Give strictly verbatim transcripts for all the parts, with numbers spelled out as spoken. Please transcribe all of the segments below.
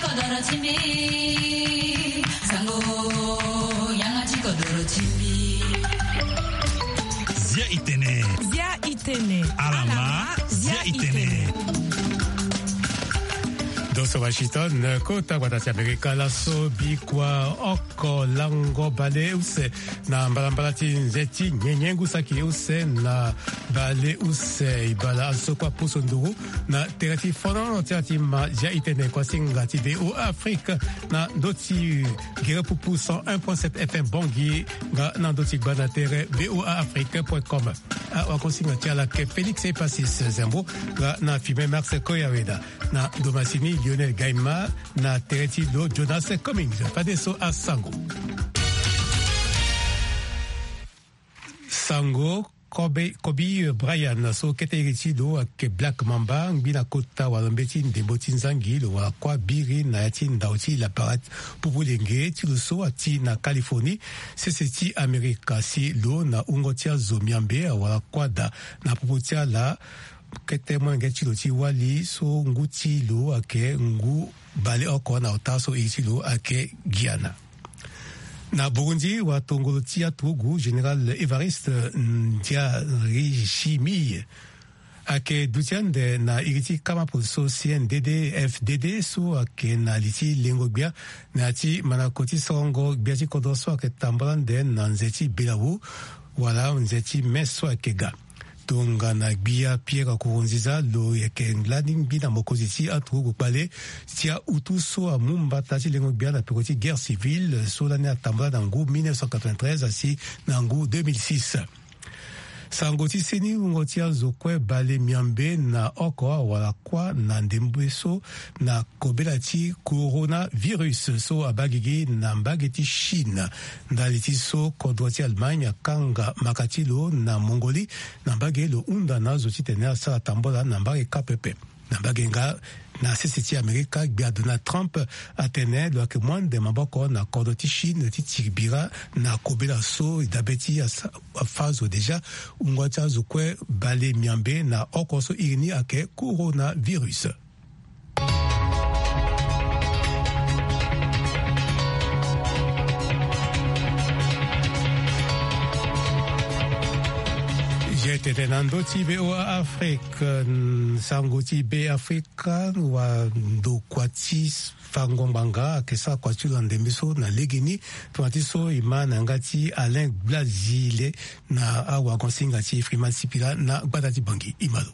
Kodoro ti mbi, sango, yanga ti kodoro ti mbi. Zia itene. Zia itene. Alama, zia itene. Doso Washington, kota gbata ti Amerika laso bikua oko lango bale use na mbalambala ti nze ti nyenye ngu saki use na bale use ibala azo so kue apusu nduru na tere ti fono ti ala ti ma zia itene kuasinga ti V O A Afrique na ndö ti gere pupu cent un point sept F M Bangui nga na ndö ti gba na tere V O A Afrique point com. Awakuasinga ti ala ayeke Félix Epasis Zembo nga na filme Max Koyaweda na ndo masini Lionel Gaima na tere ti lo Jonas Cummings. Fadeso asango. Sango Kobe, Kobe Bryant so kete iri ti lo ayeke Black Mamba, ngbi na kota wala mbeti ndembo ti nzangi lo wara kuâ biri na ya ti ndau ti lapara pupu lenge ti lo so ati na Californie, sese ti Amerika si lo na wungo ti azo miambe awara kuâ daa na popo ti ala. Kete molenge ti lo ti wali so ngu ti lo ayeke ngu baleoko na ota so iri ti lo ayeke Guyana. Na Burundi, watongolo ti aturugu Général Évariste Ndayishimiye ayeke duti ande na iri ti kama poli so C N D D F D D so ayeke na li ti lengo gbia na ya ti manako ti sorongo gbia ti kodro so ayeke tambula ande na nze ti belawu wala nze ti me so ayeke ga. Tongana gbia Pierre Nkurunziza lo yeke lani ngbi na mokonzi ti aturugu kpale ti autu so amu mbata ti lengo gbia na peko ti guerre civile so lani atambula na ngu mille neuf cent quatre-vingt-treize asi na ngu deux mille six. Sango ti seni, wungo ti azo kue bale miambe na oko awara kuâ na ndembe so na kobela ti coronavirus so abaa gigi na mbage ti Chine. Ndali ti so kodro ti Allemagne akanga maka ti lo na Mongolie na mbage lo hunda na azo titene asara tambola na mbage kâ pepe. Na mbage nga na sese ti Amerika, gbia Donald Trump atene lo yeke mu ande maboko na kodro ti Chine ti tiri bira na kobela so e dabe ti asa- afâ zo déjà wungo ti azo kue bale miambe na oko so iri ni ayeke coronavirus. Ye tene na ndö ti V O A Afrique, sango ti Be Afrika, wa ndokua ti fango ngbanga ayeke sara kua ti lo na ndembe so na legeni, tongana ti so e ma na yanga ti Alain Blazile na awagosinga ti Freeman Sipila na gbata ti Bangui. E ma lo.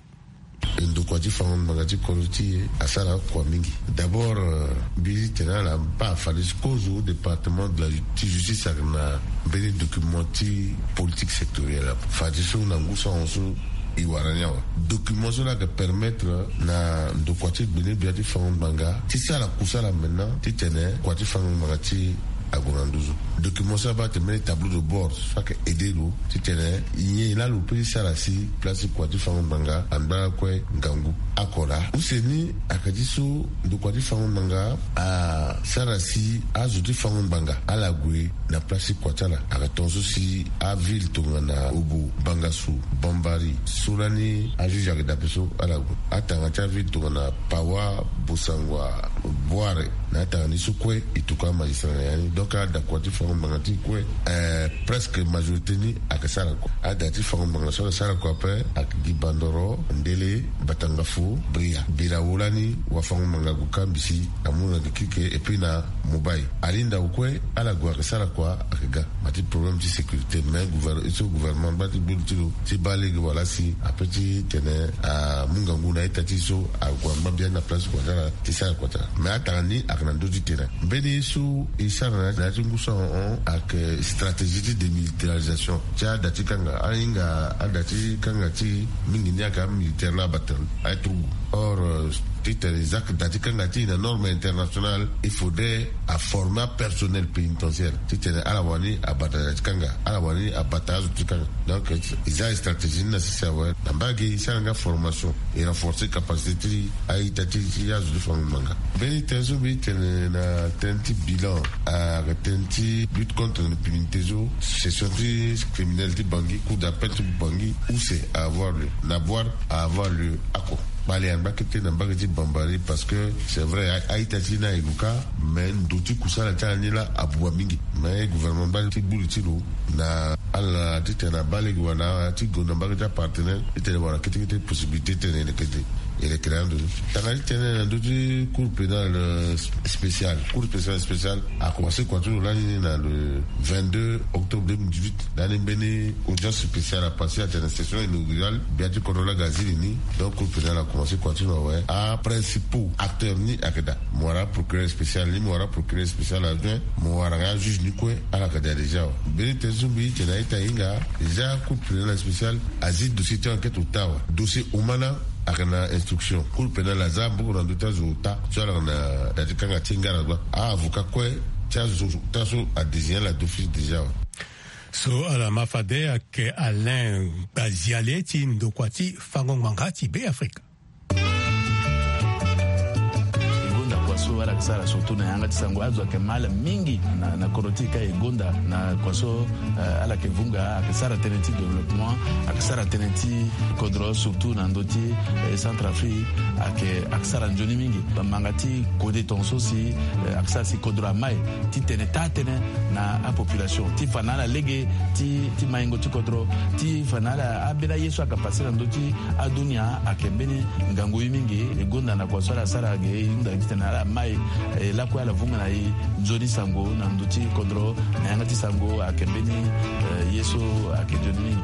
Ndokua ti fango ngbanga ti kodro ti e asara kua mingi. D'abord, euh, mbi tene ala mba fade ti kozo département de la ti justice ayeke na mbeni document ti politique sectorielle ape. Fade so na ngu sango so e wara ni awe. Document so la ayeke permettre na ndokua ti gbene gbia ti fango ngbanga ti sara kusala maintenant titene kua ti fango ngbanga ti e ague na nduzu. Document so abaa atene mbeni tableau de bord so ayeke aidé lo titene nyen laa lo peut ti sara si place ti kua ti fango ngbanga angba lakue ngangu. Oko laa use ni ayeke ti so ndokua ti fango ngbanga asara si azo ti fango ngbanga ala gue na place ti kua ti ala. Ayeke tongaso si aville tongana Obo, Bangassou, Bambari, so lani ajuge ayeke dabe so ala gue. Atanga ti aville tongana Pawa, Bossangoa, Bouaré, na atanga ni so kue e tuku amagistrat na ya ni. Donc adakua ti fango ngbanga ti e kue, eh, presque majorité ni ayeke sara kua. Ada ti fango ngbanga so ayeke sara kua ape ayeke gi Bandoro, Ndélé, Batangafo, Bria. Birawo lani wafango ngbanga ague kâ mbisi amu na gi kirike et puis na Mobay. Ali ndau kue ala gue ayeke sara kua ayeke ga. Ma ti problème ti sécurité mais gouver- so gouvernement angba ti gbu li ti lo ti baa lege wala si ape ti tene amu ngangu na ita ti e so ague angba biani na place kua ti ala ti sara kua ti ala. Mais atanga ni ayeke na ndö ti tene. Mbeni ye so e sara na ya ti ngu so ahon ayeke stratégie ti démilitarisation ti ada ti kanga. Ahinga ada ti kanga ti e mingi ni ayeke amilitaire la abata aye turugu. Or, euh, titene e za da ti kanga ti e na norme internationale, il faudrait aformer apersonnel pénitentiaire titene ala wani abata da ti kanga, ala wani abata azo ti kanga. Donc e za e stratégie ni na sese awe. Na mbage e sara nga formation, e renforcer capacité ti a-ita ti ti azo ti fango ngbanga. Mbeni tënë so mbi tene na tënë ti bilan, ayeke tënë ti lutte contre l'impunité so, session ti criminel ti Bangui, cour d'appel ti Bangui, use a avoir lieu, na Bouar a avoir lieu oko. Kpale angba kete na mbage ti Bambari, parce que c'est vrai, a-, a-ita ti ni aye gue kâ, mais ndo ti kusala ti ala ni laa abuba mingi. Mais gouvernement mbage ti gburi ti lo na ala titene abaa lege wala ti gonda mbage ti apartenaire titene wara kete kete possibilité titene e leke, e leke na ando ni. Tanga ti tene na ndö ti Cour pénale, euh, spéciale. Cour pénale spéciale a commencé kua ti lo lani ni na le vingt-deux octobre deux mille dix-huit. Lani mbeni audience spéciale a passé atene session inaugurale, gbia ti kodro laa aga zi li ni. Donc Cour pénale a commencé kua ti lo awe. Aprincipaux acteurs ni ayeke daa. Mo wara procureur spécial ni, mo wara procureur spécial adjoint, mo wara nga juge ni kue, ala yeke daa déjà awe. Mbeni tene so mbi ti tene a-ita ahinga, déjà Cour pénale spéciale azi dossier ti enquête ota awe. Dossier Omana ayeke na instruction. Cour pénale aza mboko na ndö ti azo ota so ala yeke na da ti kanga ti ngara gba. A-avocat kue ti azo ota so adésigné ala d'office déjà awe. So ala ma fade ayeke Alain Gbaziale ti ndokua ti fango ngbanga ti Beafrika. E gonda kua so ala yeke sara surtout na yanga ti sango, azo ayeke ma ala mingi na, na kodro ti e ka. E gonda na kua so, eh, ala yeke vunga, ayeke sara tënë ti développement, ayeke sara tënë ti kodro surtout na ndö ti, eh, Centrafrique, ayeke, ayeke sara nzoni mingi. Manga ti kode tongaso si, eh, ayeke sara si kodro amai titene taa tënë na apopulation, ti fa na ala lege ti, ti maingo ti kodro, ti fa na ala ambeni aye so ayeke passé na ndö ti adunia, ayeke mbeni ngangu ye mingi. E gonda na kua so ala sara ge, e hunda titene ala mai, eh, lakue ala vunga na e nzoni sango na ndö ti kodro, na yanga ti sango ayeke mbeni, eh, ye so ayeke nzoni mingi.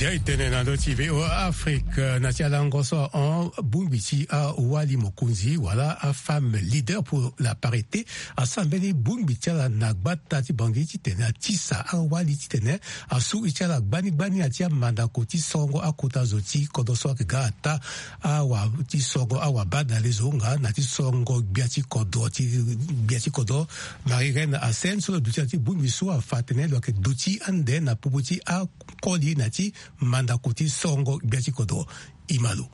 Zia e tene na ndö ti V O A Afrique, na ti alango so ahon, bongbi ti awali mokonzi wala afemme leader pour la parité asara mbeni bongbi ti ala na gbata ti Bangui titene atisa awali titene asu e ti ala gbani gbani na ti amandako ti sorongo akota zo ti kodro so ayeke ga ata awa ti sorongo awabadale zo nga na ti sorongo gbia ti kodro ti, gbia ti kodro. Marie Reine Hassen so lo duti na ti bongbi so afa atene lo yeke duti ande na popo ti akoli na ti mandako ti sorongo gbia ti kodro. E ma lo.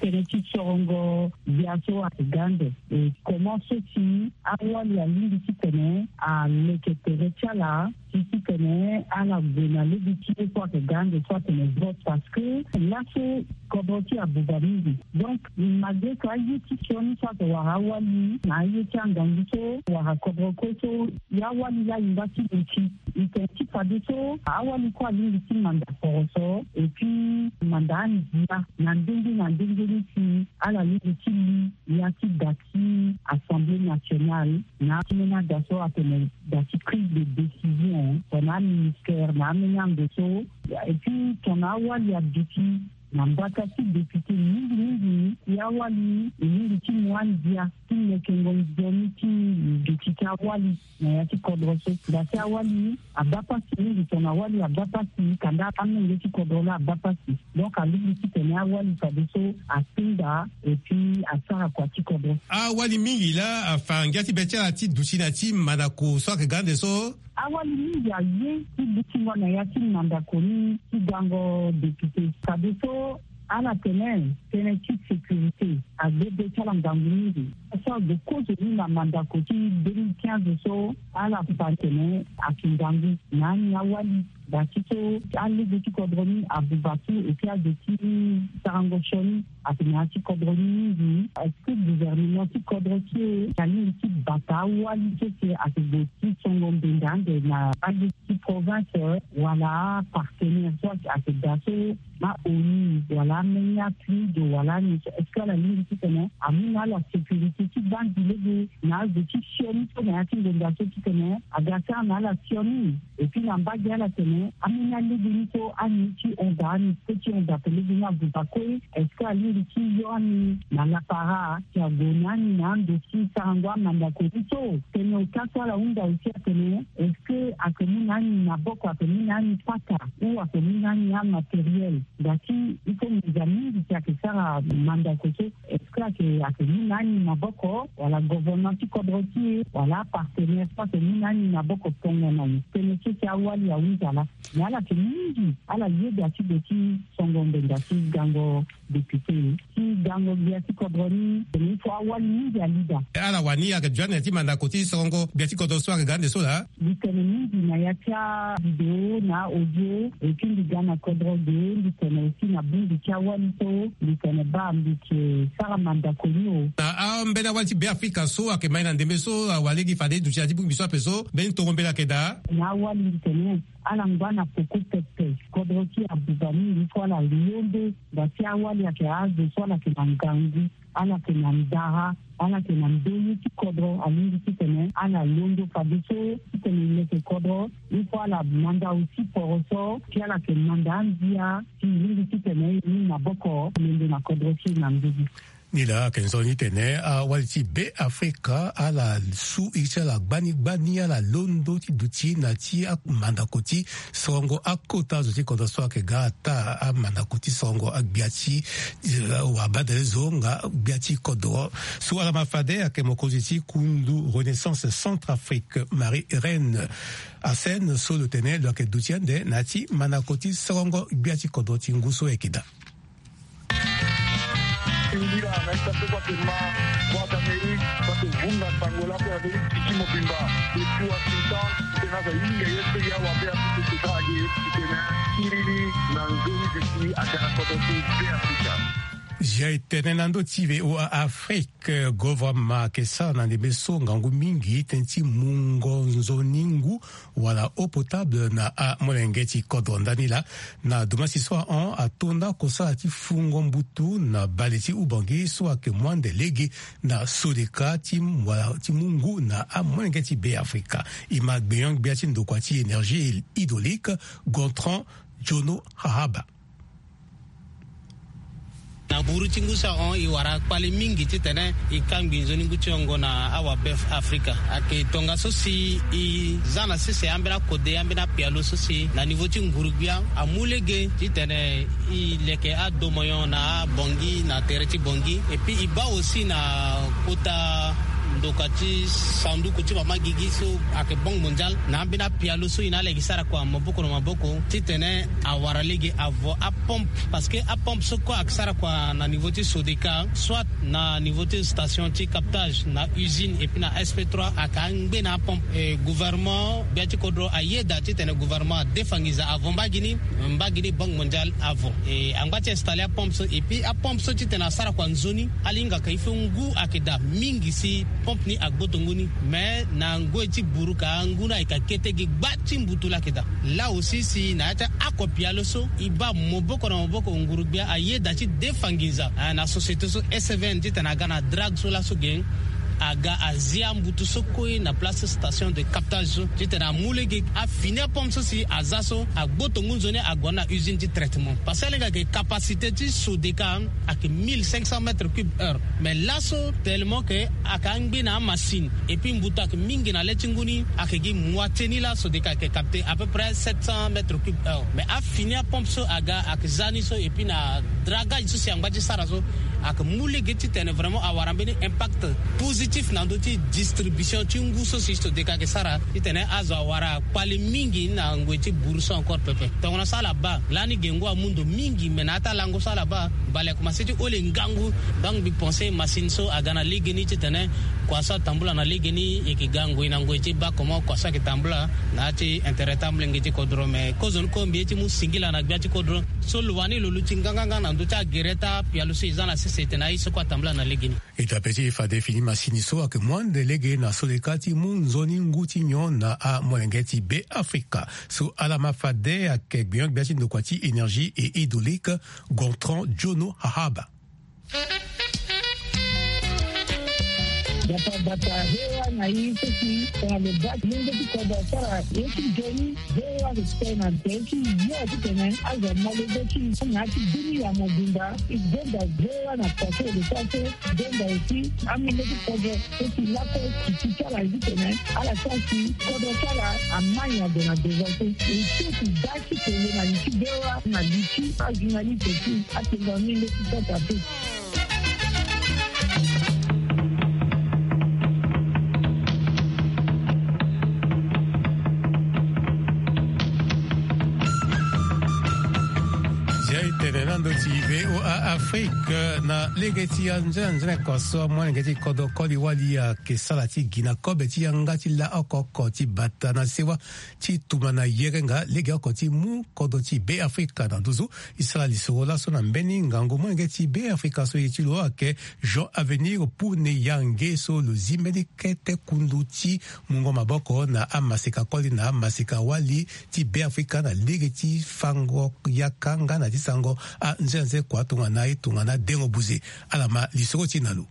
Tënë ti sorongo gbia so ayeke ga ande. E comment so si awali alingbi titene aleke tere ti ala ti titene ala gue na lege ti ye so ayeke ga ande so atene vote, parce que laso kodro ti abuba mingi. Donc malgré que aye ti sioni so ayeke wara awali na aye ti angangu so wara kodro kue so, e awali laa e ngba ti duti. E tene ti fadeso awali kue alingbi ti manda poroso et puis manda andia na ndenge na ndenge ni si ala lingbi ti li ya ti da ti Assemblée nationale na ambeni ada so atene da ti prise de décision tongana aministère na ambeni ando so. Et puis tongana awali aduti na mbata ti député mingi mingi, e awali e lingbi ti mu andia ti lekengo nzoni ti duti ti awali na ya ti kodro so. Nga si awali abaa pasi mingi, tongana awali abaa pasi, kanda amolenge ti kodro laa abaa pasi. Donc alingbi titene awali fadeso atinda et puis asara kua ti kodro. Awali mingi laa afa ngia ti be ti ala ti duti na ti mandako so ayeke ga ande so. Awali mingi aye ti dutingo na ya ti mandako ni ti gango député. Fadeso ala tene tënë ti sécurité agbe be ti ala ngangu mingi. So agbo kozo ni na mandako ti deux mille quinze so, ala fa tene ayeke ngangu na ani awali. Daa ti so alege ti kodro ni abuba so, et puis azo ti sarango sioni atene na ya ti kodro ni mingi. Est-ce que gouvernement ti kodro ti e alingbi ti bata awali so si ayeke gue ti songo mbenda ande na alege ti province wala apartenaire so ayeke daa so, na ONU wala ameni aPNUD wala ni so, est-ce que ala lingbi titene amu na ala sécurité ti baa gi lege na azo ti sioni so na ya ti ngonda so titene aga sara na ala sioni? Et puis na mbage ala tene ameni alege ni so ani ti hon daa, ani kue ti hon daa pe lege ni abuba kue. Est-ce que alingbi ti yo ani na lapara si ague na ani na ando ti sarango amandako ni so? Tene ota so ala hunda aussi atene est-ce que ayeke mu na ani maboko, ayeke mu na ani pata ou ayeke mu na ani amatériel? Nga ti il faut nginza mingi si ayeke sara mandako so. Est-ce que ayeke, ayeke mu na ani maboko wala gouvernement ti kodro ti e wala apartenaire so ayeke mu na ani maboko tongana ni? Tënë so si awali ahunda laa. Mais ala yeke mingi ala yeda ti gue ti songo mbenda ti gango député ti Gango gbia ti kodro ni tene il faut awali mingi ali daa. Ala wani ayeke duti ande na ya ti mandako ti sorongo gbia ti kodro so ayeke ga ande so laa. Mbi tene mingi na ya ti avidéo na audio. Et puis mbi ga na kodro ge, mbi tene aussi na bongbi ti awali so mbi tene baa mbi yeke sara mandako ni o. Na ambeni awali ti Beafrika so ayeke mai na ndembe so awa lege fade e duti na ya ti bongbi so ape so mbeni tongo mbela ayeke daa. Na awali mbi tene ala ngba na peko pepe. Kodro ti abuba mingi so ala londo. Ngba ti awali ayeke azo so ala yeke na ngangu, ala yeke na ndara, ala yeke na ndoye ti kodro. Alingbi titene ala londo fadeso titene e leke kodro. Il faut ala manda aussi poroso ti ala yeke manda andia ti e lingbi titene e mu maboko londo na kodro ti e na nduzu. Ni laa ayeke nzoni titene awali ti Beafrika ala su iri ti ala gbani gbani ala londo ti duti na ti amandako ti sorongo akota zo ti kodro so ayeke ga ata amandako ti sorongo agbia ti, eh, wabadale zo nga gbia ti kodro. So ala ma fade ayeke mokonzi ti kundu Renaissance Centrafrique Marie Reine Assène so lo tene lo yeke duti ande na ya ti mandako ti sorongo gbia ti kodro ti ngu so ayeke daa. Singila na ita so bate ma Voix d'Amérique, bate vunga sango la pe Amérique ti mobimba. Depuis Washington, tena za yinga ye pe ya wa be Afrique ti ta age, tena siriri na nzoni de si agana kodo ti be Afrika. Zia e tene na ndö ti V O A Afrique, gouvernement ayeke sara na ndembe so ngangu mingi tënë ti mungo nzoni ngu wala eau potable na amolenge ti kodro. Ndani laa na domasi so ahon ato nda kosala ti fungo mbutu na bale ti Ubangi so ayeke mu ande lege na sodeka ti mu, ti mu ngu na amolenge ti Beafrika. E ma gbenyo-gbia ti ndokua ti énergie hydraulique, Gontran Jono Hahaba. Na buru ti ngu so ahon e wara kpale mingi titene e kangbi nzoni ngu ti hongo na awabe Afrika. Ayeke tongaso si e za na sese ambeni akode, ambeni apialo so si na nivo ti nguru-gbia amu lege titene e leke adomoyon na abongi na tere ti bongi. Et puis e baa aussi na kota ndoka ti sanduku ti mama gigi so ayeke Banque Mondiale na ambeni apialo so e na ala yeke sara kua maboko na maboko titene awara lege avo apompe. Parce que apompe so kue ayeke sara kua na niveau ti Sodeka, soit na niveau ti station ti captage na usine et puis na S P trois, ayeke angbe na apompe. Et gouvernement, gbia ti kodro ayeda titene gouvernement adefa nginza avo mbage ni, mbage ni Banque Mondiale avo. Et angba ti installer apompe so, et puis apompe so titene asara kua nzoni, ala hinga ka il faut ngu ayeke daa mingi si pompe ni agboto ngu ni. Mais na ngoi ti buru ka ngu ni ayeke kete gi gba ti mbutu laa ayeke daa. Là aussi si na ya ti ako pialo so e baa maboko na maboko nguru-gbia ayeda ti defa nginza, ah, na société so S V N titene aga na drague so laso ge aga azi ambutu so kue na place station de captage so titene amu lege afini apompe so si aza so agboto ngu nzoni ague na usine ti traitement. Parce que ala hinga ke capacité ti Sodeka ayeke mille cinq cents mètres cubes heure. Mais laso tellement que ayeke angbe na amasine et puis mbutu ayeke mingi na le ti ngu ni, ayeke gi moitié ni laa Sodeka ayeke capter à peu près sept cents mètres cubes heure. Mais afini apompe so aga ayeke za ni so et puis na dragage so si angba ti sara so ayeke mu lege titene vraiment awara mbeni impact positif na ndö ti distribution ti ngu so si Sodeka ayeke sara titene azo awara kpale mingi na ngoi ti buru so encore pepe. Tongana so ala baa lani ge ngu amu ndo mingi, mais na ya ti alango so ala baa bale akomanse ti hole ngangu. Donc mbi pense machine so aga na legeni titene kua so atambula na legeni e yeke ga ngoi na ngoi ti baa comment kua so ayeke tambula na ya ti intérêt ti amolenge ti kodro. Mais kozoni kue mbi ye ti mu singila na gbia ti kodro so lo wani lo luti nganganga na ndö ti agere ti apialo so e za na sese tene aye so kue atambula na legeni. E dape ti e fade fini masini so ayeke mu ande lege na Sodeka ti mu nzoni ngu ti nyon na amolenge ti Beafrika. So ala ma fade ayeke gbenyo-gbia ti ndokua ti énergie et hydraulique, Gontran Jono Hahaba. Bata bata, V O A na i so si tongana lo baa ti lenge ti kodro asara ye ti nzoni. V O A respect na tere ti yo titene azo amolenge ti i na ya ti bini ya mobimba. I gbenda V O A na poto de sa so gbenda aussi amolenge ti kodro so si laso ti ti ti ala ye titene ala sara si kodro ti ala amai ade na devant so. E so si da ti tene na li ti V O A na li ti ajournaliste ti atene na ni nde ti Centrafrique. Zia e Tene na ndo ti VOA Afrique na lege ti anzene anzene kua so amolenge ti kodro koli wali ayeke sara ti gi na kobe ti yanga ti la oko oko ti bata na sewa ti tuma na yerenga legeoko ti mu kodro ti Beafrika na nduzu. E sara lisoro laso na mbeni ngangu molenge ti Beafrika so e ye ti lo ayeke Jean Avenir Pune Yange so lo zi mbeni kete kundu ti mungo maboko na amaseka koli na amaseka wali ti Beafrika na lege ti fango yaka nga na ti sango anzenze kua tongana e tongana dengo buze. Ala ma lisoro ti e na lo.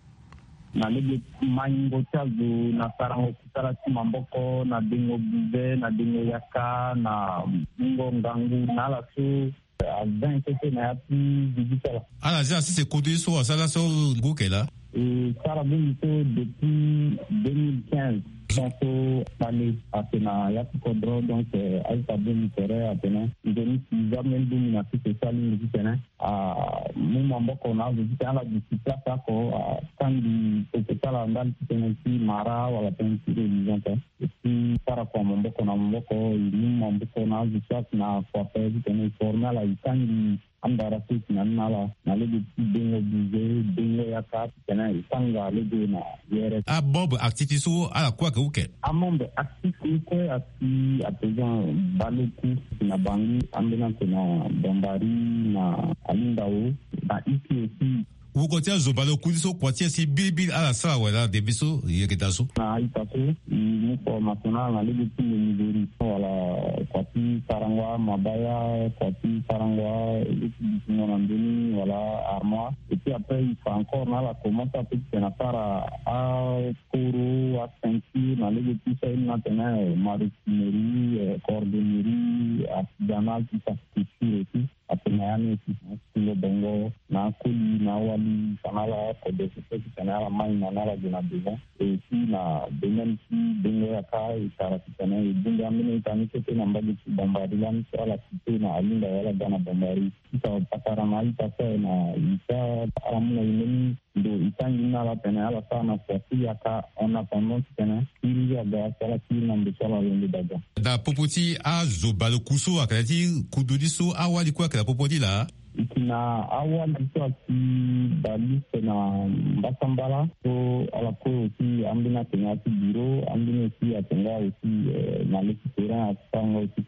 Na lege maingo ti azo na sarango kusala ti maboko na dengo buze na dengo yaka na mungo ngangu na ala so aza intete na ya ti zi ti sala. Ala zi asese kodro ye so asara so ngu ke laa. E sara bongbi so depuis deux mille quinze. Tant so kpale ake na ya ti kodro, donc, eh, aita bongbi tere atene nzoni si za mbeni bongbi na sese so alingbi titene amu maboko na azo titene ala gi si place oko, atangi peko ti ala ndali titene ti mara wala tënë ti religion te. E si sara kua maboko na maboko, e mu maboko na azo so ake na kua ape titene e forme ala, e tangi andara so e si na ni na ala na lege ti dengo buze, dengo yaka titene e tanga lege na yere. Amembre actif ti so ala kue ayeke uke? Amembre actif ni kue asi à présent baleku na bangi ambeni ake na Bambari, na Alindao, na Iki aussi. Woko ti azo baleku ni so kua ti e si biribiri ala sara wala debe so yeke daa so? Na a-ita so e mu formation na ala na lege ti menuiserie wala kua ti sarango amabaya, kua ti sarango alege ti dutingo na ndoni wala armoire. Et puis après e fa encore na ala commence ape titene asara akoro, aceinture na lege ti so aye ni atene maroquinerie, eh, cordonnerie artisanale, tout ça, couture et tout. Atene na ya ni aussi na atingo bongo na akoli na awali fa na ala kodro so titene ala mai na ni ala gue na devant. Et aussi na domaine ti dengo yaka e tara titene e bongbi ambeni ita ni kete na mbage ti Bambari lani so ala cité na Alindao wala ga na Bambari. Ita patara na ita so aye na ita ala mu na e mbeni ndo e tangi ni na ala tene ala sara na kua ti yaka en attendant titene kiri aga si ala kiri na ndo so ala londo daga. Na popo ti azo baleku so ayeke na ya ti kodro ni so awali kue ayeke na popo ni laa? E yeke na awali so asi baleku na mbasambala so ala kue aussi ambeni ayeke na ya ti bureau, ambeni aussi ayeke nga aussi, eh, na le ti terrain asi sara nga aussi.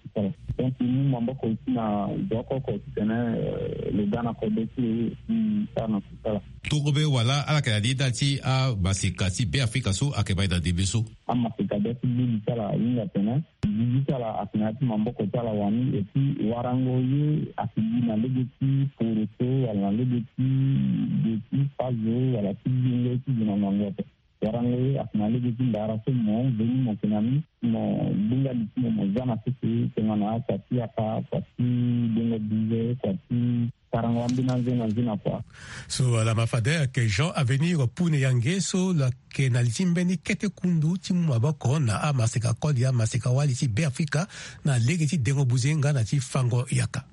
Donc e mu maboko aussi na zo oko oko titene, eh, lo ga na kodro ti lo aussi sara na kusala. Torobe wala ala yeke na ni ndali ti amaseka ti Beafrika so ayeke mai na ndembe so? Amaseka bia ti gbu gi ti ala ahinga atene gi gi ti ala ayeke na ya ti maboko ti ala wani. Et puis warango ye ayeke gi na lege ti poroso wala na lege ti ge ti fazo wala ti genge ti gi na ngangu ape. Warango ye ayeke na lege ti ndara so mo veni mo yeke na ni, mo gbinga li ti mo mo za na sese tongana kua ti yaka, kua ti dengo buze, kua ti sarango ambeni anze na nze na kua. So ala ma fade ayeke Jean Avenir Pune Yange so lo yeke na li ti mbeni kete kundu ti mu maboko na amaseka koli amaseka wali ti Beafrika na lege ti dengo buze nga na ti fango yaka.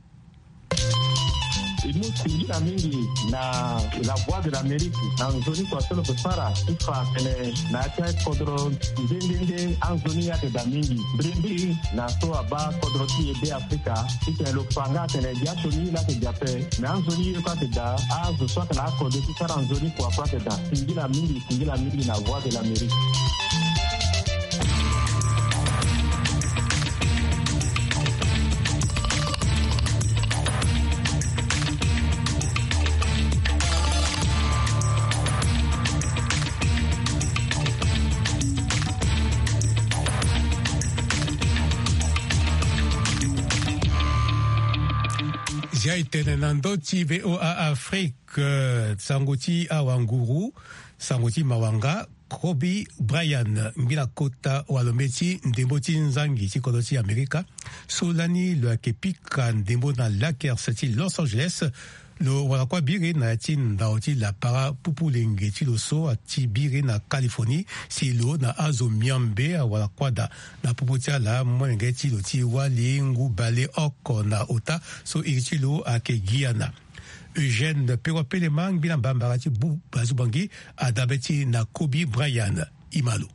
E mu singila mingi na La Voix de l'Amérique na nzoni kua so lo yeke sara ti fa tene na ya ti akodro nde nde nde anzoni ayeke daa mingi. Mbirimbiri na so abaa kodro ti e Beafrika titene lo fa nga atene gi asioni ye laa ayeke daa ape, me anzoni ye kue ayeke daa. Azo so ayeke na akodro ti sara nzoni kua kue ayeke daa. Singila mingi, singila mingi na Voix de l'Amérique. Zia e tene na ndö ti VOA Afrique, eh, sango ti awanguru, sango ti mawanga. Kobe Bryant, ngbila kota walo mbeti ndembo ti nzangi ti kodro ti Amerika, so lani lo yeke pika ndembo na Lakers ti Los Angeles, lo wara kua biri na ya ti ndao ti lapara pupu lenge ti lo so ati biri na Californie, si lo na azo miombe awara kua daa. Na popo ti ala molenge ti lo ti wali ngu bale oko na ota so iri ti lo ayeke Guyana. Eugène Perrois Pelema, ngbila mbambara ti bu bazubangi, adabeti na Kobe Bryant. Imalo.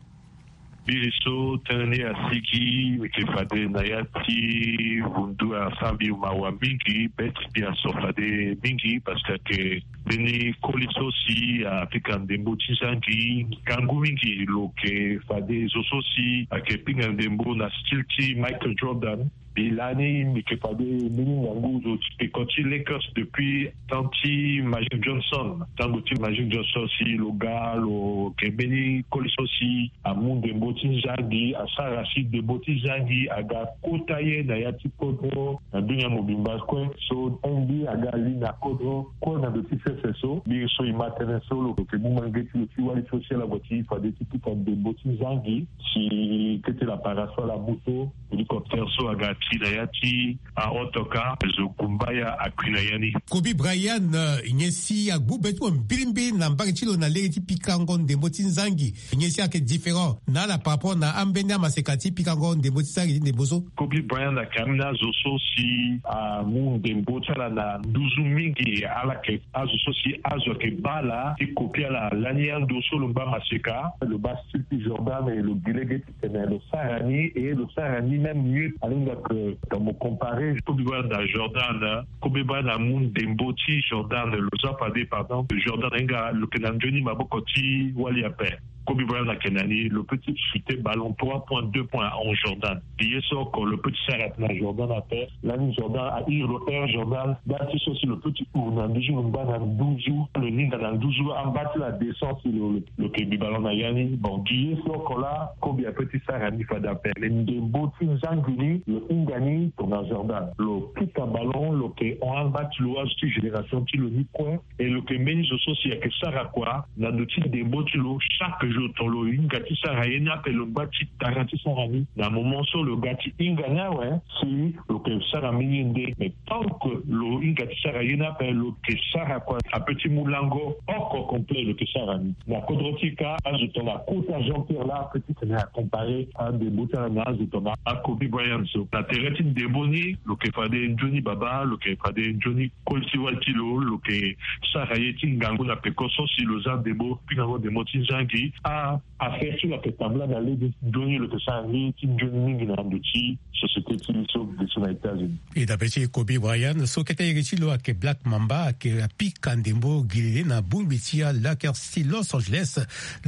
Biri so tënë ni asigi, mbi yeke fade na ya ti vundu asara mbi mawa mingi, be ti mbi aso fade mingi, parce que ayeke mbeni koli so si apika ndembo ti zangi ngangu mingi. Lo yeke fade zo so si ayeke pinga ndembo na style ti Michael Jordan. Mbi lani mbi yeke fade mbeni ngangu zo ti peko ti Lakers depuis temps ti Magic Johnson. Tango ti Magic Johnson si lo ga, lo yeke mbeni koli so si amu ndembo ti zangi, asara si ndembo ti zangi aga kota ye na ya ti kodro na dunia mobimba kue. So N B A aga li na kodro kue na ndo ti sese so. Biri so e ma tënë so lo yeke mu mange ti lo ti wali so si ala gue ti fade ti pika ndembo ti zangi si kete lapara so ala mu so, hélicoptère so aga ti na ya ti aotoka, zo gumbaya akui na ya ni. Kobe Bryant, eh, nyen si agbu be ti mo mbirimbiri na mbage ti lo na lege ti pikango ndembo ti zangi? Nyen si ayeke différent na ala par rapport na ambeni amaseka ti pikango ndembo ti zangi ti ndembo so? Kobe Bryant ayeke ambeni azo so si amu ndembo ti ala na nduzu mingi. Ala yeke azo so si azo ayeke baa ala ti kopi ala lani ando so lo ngba maseka, lo baa style ti Jordan, e lo gi lege ti tene lo sara ni, e lo sara ni même mieux. Alinga ke tongana mo comparer Kobe Bryant na Jordan, Kobe Bryant amu ndembo ti Jordan. Lo zia fade, par exemple, Jordan ahinga lo yeke na nzoni maboko ti wali ape. Kobe Bryant ayeke na ni, lo peut ti chuter ballon trois points, deux points en Jordan. Gi ye so oko lo peut ti sara na Jordan ape. Lani Jordan a iri lo Air Jordan. Nda ti so si lo peut ti huru na nduzu, lo ngba na nduzu, lo linda na nduzu, amba ti la descente si lo, lo, lo yeke bi ballon na ya ni. Bon, gi ye so oko laa, Kobe apeut ti sara ni fade ape. Mais ndembo ti zangi ni, lo hinga ni tongana Jordan. Lo pika ballon, lo yeke hon amba ti lo, azo ti génération ti lo ni kue. E lo yeke mbeni zo so si ayeke sara kua na ndo ti ndembo ti lo. Chaque jour tongana lo hinga ti sara ye ni ape, lo ngba ti tara ti sara ni. Na moment so lo ga ti hinga ni awe, si lo yeke sara mbeni ye nde. Mais tant que lo hinga ti sara ye ni ape, lo yeke sara kua, apeut ti mu lango oko complet lo yeke sara ni. Na kodro ti e kâ, azo tongana akota Jean-Pierre laa, apeut ti tene acomparer andembo ti ala na azo tongana aKobe Bryant so. Na tere ti ndembo ni, lo yeke fade nzoni baba, lo yeke fade nzoni koli ti wali ti lo, lo yeke sara ye ti ngangu na peko so si lo zia ndembo, pingango ndembo ti zangi. A, affaire so lo yeke tambula na lege ti nzoni, lo yeke sara ye ti nzoni mingi na ndo ti société ti e so ge so na États-Unis. E dape ti Kobe Bryant so kete iri ti lo ayeke Black Mamba, ayeke apika ndembo gi lele na bongbi ti aLakers ti Los Angeles.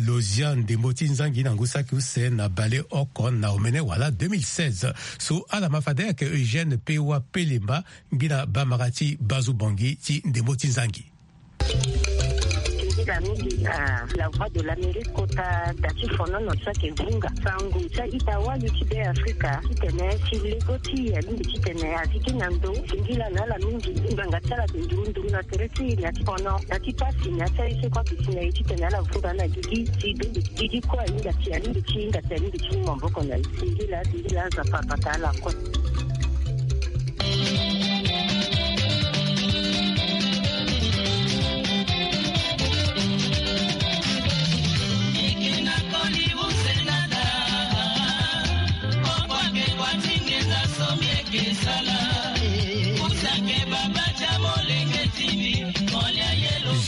Lo zia ndembo ti zangi na ngu saki use na bale oko na omene wala deux mille seize. So ala ma fade ayeke Eugène Pewa Pelemba, ngbina bamara ti Bazu Bongi ti ndembo ti zangi. Ngbila mingi na La Voix de l'Amérique kota da ti fonono so ayeke vunga sango ti a-ita wali ti Be Afrika titene si lego ti e alingbi titene aziki na ndo. Singila na ala mingi ti ngbanga ti ala ayeke nduru nduru na tere ti e, na ti fono, na ti pasi, na ti aye so kue ayeke si na e titene ala vunga na gigi ti be gigi kue ahinga ti, alingbi ti hinga ti, alingbi ti mu maboko na e. Singila, singila, Nzapa abata ala kue.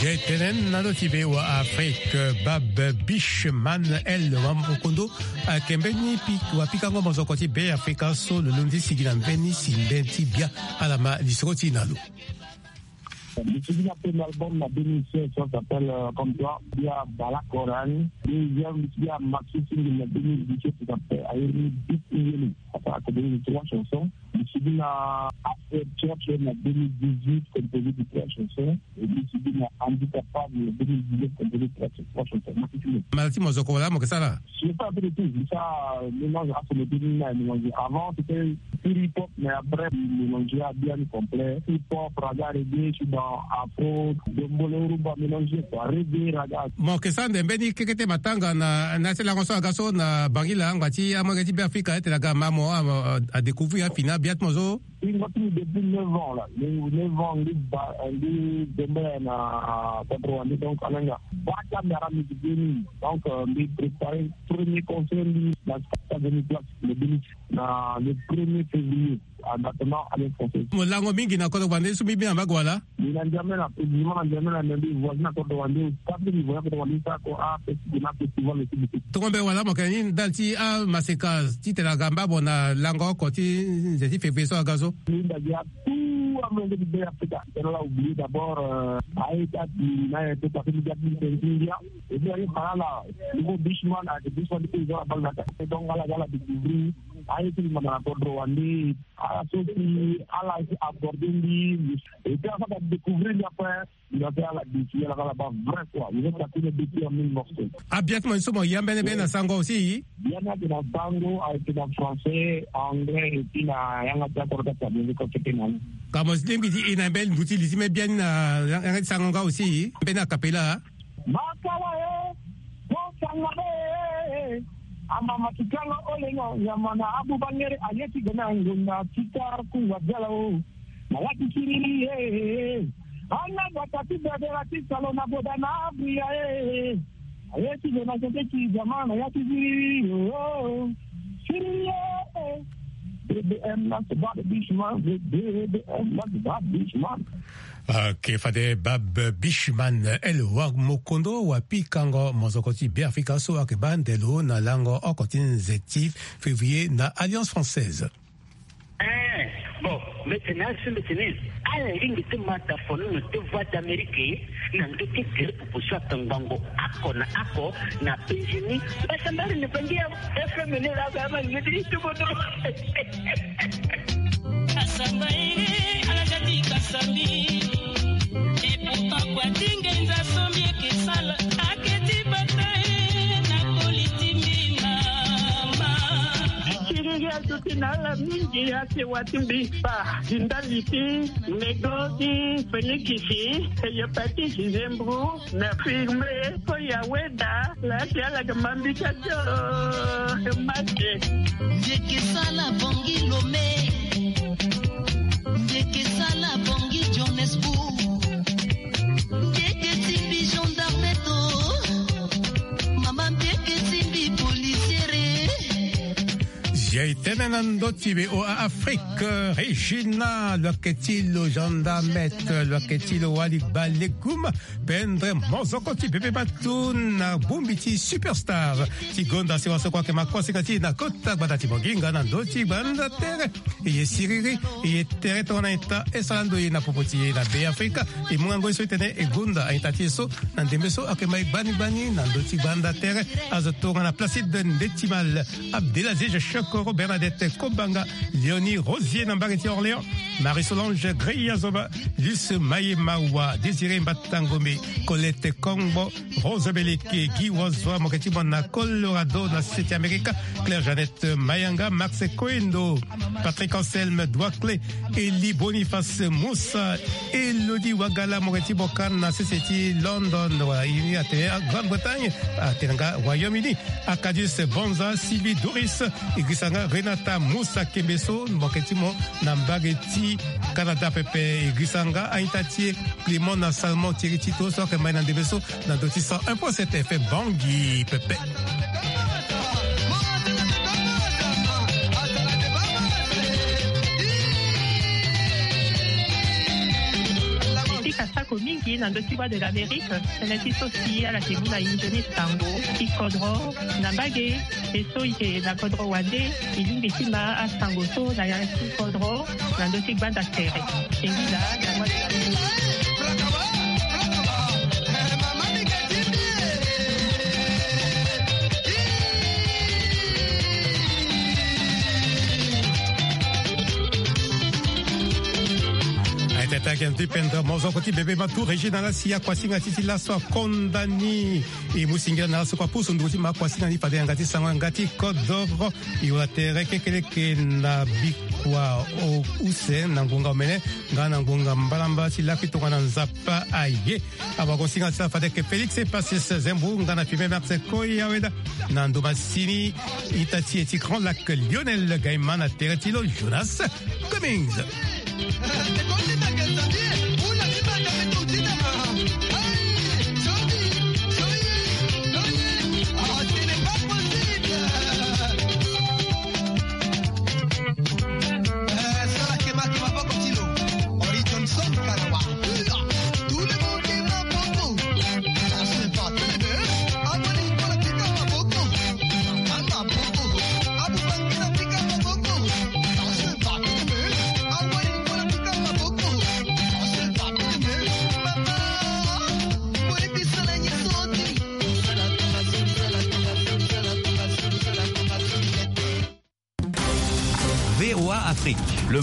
Je tene na lo ti be wa Afrique, Bab Bishman El Wamokondo, ayeke mbeni pi-, wapikango mozoko ti Be Afrika so lo londi sigi na mbeni si mbeni ti bia. Ala ma lisoro ti e na lo. Mbi sigi na premier album na deux mille seize, ça s'appelle, euh, Comme toi. Bia Bala Koran. Deuxième, mbi sigi na Maxi Single na deux mille dix-sept, ça s'appelle Ayeri Bit Yeli. Ça fait deux mille trois chansons. Mbi sigi na Affaire Church na deux mille dix-huit, composé de trois chansons. Et mbi sigi na Handicapable na deux mille dix-neuf, composé de trois, trois chansons. Maxi Single. Mara ti mozoko wala mo yeke sara? Je fais un peu de tout. Mbi sara mélange afro, mélange. Avant, c'était pur hip-hop, mais après, mélangé à bien complet. Hip-hop, raga, reggae, je suis dans afro, dombolo, rumba mélangé, quoi. Reggae, raga. Mo yeke sara nde mbeni kekete matanga na, na ti lango so aga so na Bangila, angba ti amolenge ti Be Afrika, ete aga ma mo, a, a, a découvrir afini abia ti mo so. Hingo ti mbi depuis neuf ans là. Neuf ans, mbi ba, mbi zembe na quatre-vingt-deux, donc, alanga. Bata mbi ara mbi ti geni. Donc, euh, mbi préparé premier concert, mbi na quatre-vingt-deux, le deux mille, na le premier février. Mo lango mingi na kodro wande so mbi bi na mbage wala? Mbi na Njamena, précisément na Njamena, mais mbi voisin na kodro wande, parce que mbi voisin na kodro wande, sa ko a festival, na festival aussi de. Tongo mbe wala mo yeke ni ndali ti amaseka titene aga mbabo na lango oko ti nze ti février so aga so. Mbi ndali ya tout amelenge ti Bêafrika. Tena la oublier d'abord, euh, aye ti ati na ye to passe mbi ga ti nze ti India. Et puis aye fa na ala, niveau Bishman, ayeke Bishman ti zo na bale na ka. Donc ala ga ala découvrir aye ti mbi manda na kodro wande. Ala so si ala si aborder mbi, et puis ala so ala découvrir mbi après, mbi na fait ala défi, ala kala ba vrai quoi. Mbi fait takui na défi en mille morceaux. Abia ti mo ni so mo ya mbeni mbeni na sango aussi? Biani ayeke na sango, ayeke na français, anglais, et puis na yanga ti akoro ti atabongo ko fete na ni. Ka mo lingbi ti e na mbeni ngu ti li ti me biani na yanga ti sango nga aussi, mbeni a cappella. Makala e, mo sanga e, amama ti kanga olengo, nyama na abu bangere, aye ti gana ngonda ti kar kunga biala o. Na ya ti siriri e, ana bata ti bebela ti salo na boda na abria e. Aye ti gana sente ti zama na ya ti siriri o. Siriri e. B B M na se bad bishman, B B M na se bad bishman. Ok, fade Bab Bishman, el wa mokondo wa pikango mozoko ti Bêafrika so ayeke baa ndelo na lango oko ti nze ti février na Alliance Française. Eh, bon, mbeti na so mbeti ni, ala lingbi ti ma da fonono ti Voix d'Amérique na ndö ti gere popo so atongbango oko na oko na Benjini. Mbasambari ni bangi ya F M ni la ga ma ni ti tubo do. Kasamba e, ala ga ti kasamba e. Et pourtant kua ti ngenza so mbi yeke sala, ake ti bata e, na koli ti mbi mama. Siriri azo ti na ala mingi, ake wa ti mbi kpa, ti ndali ti nego ti Félix, e yo pa ti Gisembro, na firme, po ya weda, la ti ala ga ma mbi ka jo, e ma te. Mbi yeke sala Bangui Lomé. Mbi yeke sala Bangui Johannesburg. Mbi yeke simbi gendarme to. Mama mbi yeke simbi policiere. Zia e tene na ndö ti be o Afrique, Regina, lo yeke ti lo gendarme, lo yeke ti lo wali balegum. Pendre mozoko ti bebe batu na bongbi ti superstar ti gonda sewa so kue ayeke ma kuasinga ti e na kota gbata ti Bongi nga na ndö ti gbanda tere. E ye siriri, e ye tere tongana eta, e sara ndo ye na popo ti e na Bêafrika. E mu ngangu ye so e tene e gonda a-ita ti e so na ndembe so ayeke ma e gbani gbani na ndö ti gbanda tere. Azo tongana Placide Ndetimal, Abdelaziz Chokoro, Bernadette Kobanga, Léonie Rosier na mbage ti Orléans, Marie-Solange Greya Zoba, Luce Maye Mawa, Désiré Mbatangomé, Colette Kongbo, Rose Beleke, Guy Wozwa, mo yeke ti mo na Colorado na sese ti Amerika, Claire Jeannette Mayanga, Max Koendo, Patrick Anselme Douaclé, Elie Boniface Moussa, Elodie Wagala, mo yeke ti mo ka na sese ti London, wala e ni atene Grande-Bretagne, atene nga Royaume-Uni. Arcadius Bonza, Sylvie Doris, e girisa nga Renata Moussa Kembeso, mo yeke ti mo na mbage ti Canada pepe, e girisa nga a-ita ti e Clément na Salomon Thierry Tito so ayeke ma e na ndembe so na ndö ti cent un point sept F M Bangui pepe. Tika sako mingi na ndö ti Voix de l'Amérique. Tënë ti so si ala yeke mu na e nzoni sango ti kodro na mbage. E so e yeke na kodro wande, e lingbi ti ma asango so na ya ti kodro na ndö ti gbanda tere. E ngi laa na Voix de l'Amérique. Aye tene ti ayeke na ndö ti pendre mozoko ti bebe ma tu Régine na ala si akuasinga ti ti laso akonda ni. E mu singila na ala so kue apusu nduru ti ma akuasinga ni fade yanga ti sango yanga ti kodoro. E wara tere kekeleke na bikua o use na ngonga omene nga na ngonga mbalambala ti lakui tongana Nzapa aye. Awagosinga ti ala fade yeke Félix Epasis Zembu nga na Firmin Martin Koyaweda. Na ndo masini ita ti e ti Grand Lac Lionel Gaima na tere ti lo Jonas Cummings. Afrique.